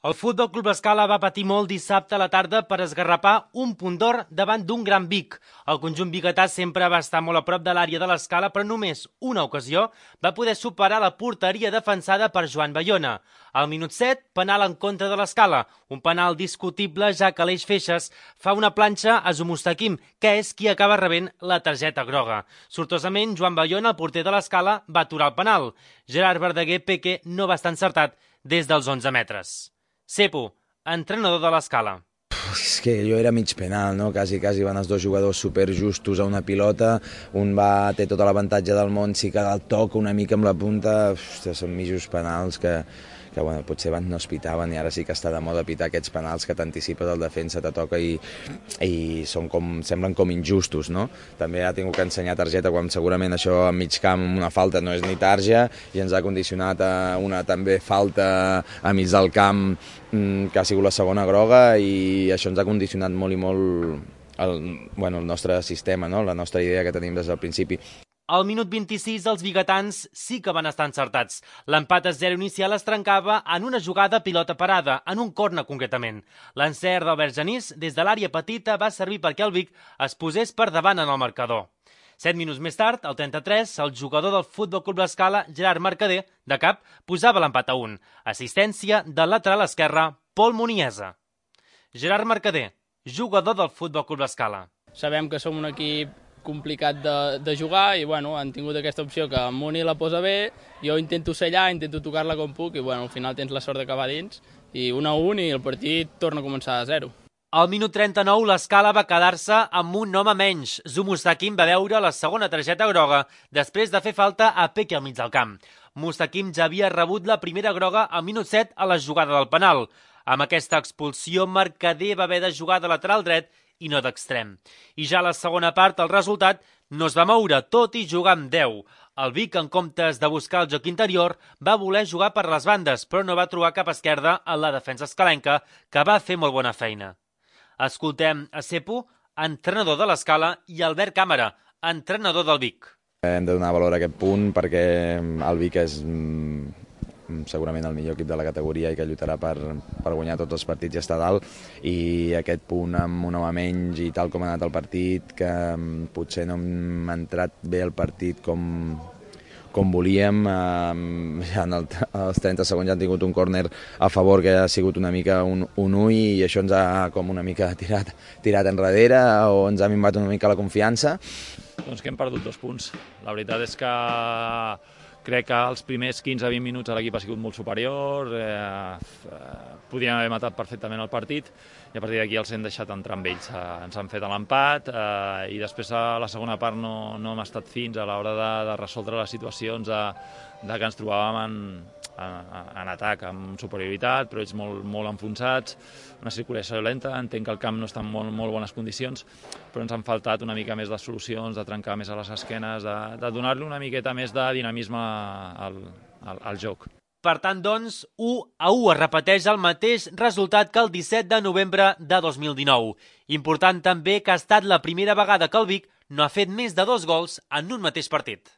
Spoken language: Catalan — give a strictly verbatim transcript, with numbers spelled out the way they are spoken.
El Futbol Club Escala va patir molt dissabte a la tarda per esgarrapar un punt d'or davant d'un gran Vic. El conjunt biguetà sempre va estar molt a prop de l'àrea de l'Escala, però només una ocasió va poder superar la porteria defensada per Joan Bayona. Al minut set, penal en contra de l'Escala, un penal discutible ja que Aleix Feixes fa una planxa a Zumustaquim, que és qui acaba rebent la targeta groga. Sortosament, Joan Bayona, el porter de l'Escala, va aturar el penal. Gerard Verdaguer Peque no va estar encertat des dels onze metres. Cepo, entrenador de l'Escala. És que allò era mig penal, no? Quasi, quasi van els dos jugadors superjustos a una pilota, un va, té tota l'avantatge del món, sí que el toca una mica amb la punta, ostres, són mitjos penals que, que bueno, potser abans no es pitaven i ara sí que està de moda pitar aquests penals que t'anticipes el defensa, te toca i, i són com, semblen com injustos, no? També ha tingut que ensenyar targeta quan segurament això a mig camp una falta no és ni tarja i ens ha condicionat a una també falta a mig del camp que ha sigut la segona groga i això ens ha condicionat molt i molt el, bueno, el nostre sistema, no? La nostra idea que tenim des del principi. Al minut vint-i-sis, els biguetans sí que van estar encertats. L'empat a zero inicial es trencava en una jugada pilota parada, en un corna concretament. L'encert d'Albert Genís des de l'àrea petita va servir perquè el Vic es posés per davant en el marcador. Set minuts més tard, al trenta-tres, el jugador del Futbol Club Escala, Gerard Mercader, de cap, posava l'empat a un. Assistència del lateral esquerre, Pol Muniesa. Gerard Mercader, jugador del Futbol Club Escala. Sabem que som un equip complicat de, de jugar i bueno, han tingut aquesta opció que Muni la posa bé, jo intento ser allà, intento tocar-la com puc i bueno, al final tens la sort d'acabar dins i un a un i el partit torna a començar a zero. Al minut trenta-nou, l'Escala va quedar-se amb un home menys. Zumustaquim va veure la segona targeta groga després de fer falta a Peque al mig del camp. Mustaquim ja havia rebut la primera groga al minut set a la jugada del penal. Amb aquesta expulsió, Mercader va haver de jugar de lateral dret i no d'extrem. I ja a la segona part, el resultat no es va moure, tot i jugar amb deu. El Vic, en comptes de buscar el joc interior, va voler jugar per les bandes, però no va trobar cap esquerda en la defensa escalenca, que va fer molt bona feina. Escoltem a Cepo, entrenador de l'Escala, i Albert Càmera, entrenador del Vic. Hem de donar valor a aquest punt perquè el Vic és segurament el millor equip de la categoria i que lluitarà per, per guanyar tots els partits i estar dalt, i aquest punt amb un home menys i tal com ha anat el partit, que potser no hem entrat bé el partit com, com volíem, ja en el, als trenta segons ja han tingut un córner a favor que ha sigut una mica un, un ull i això ens ha com una mica tirat, tirat enrere o ens ha minvat una mica la confiança. Doncs que hem perdut dos punts. La veritat és que crec que els primers quinze a vint minuts l'equip ha sigut molt superior, eh, podríem haver matat perfectament el partit i a partir d'aquí els hem deixat entrar amb ells. Eh, ens han fet l'empat eh, i després a la segona part no, no hem estat fins a l'hora de, de resoldre les situacions de, de que ens trobàvem en, en, en atac, amb superioritat, però ells molt, molt enfonsats, una circulació lenta, entenc que el camp no està en molt, molt bones condicions, però ens han faltat una mica més de solucions, de trencar més a les esquenes, de, de donar-li una miqueta més de dinamisme al, al, al joc. Per tant, doncs, u a u es repeteix el mateix resultat que el disset de novembre de dos mil dinou. Important també que ha estat la primera vegada que el Vic no ha fet més de dos gols en un mateix partit.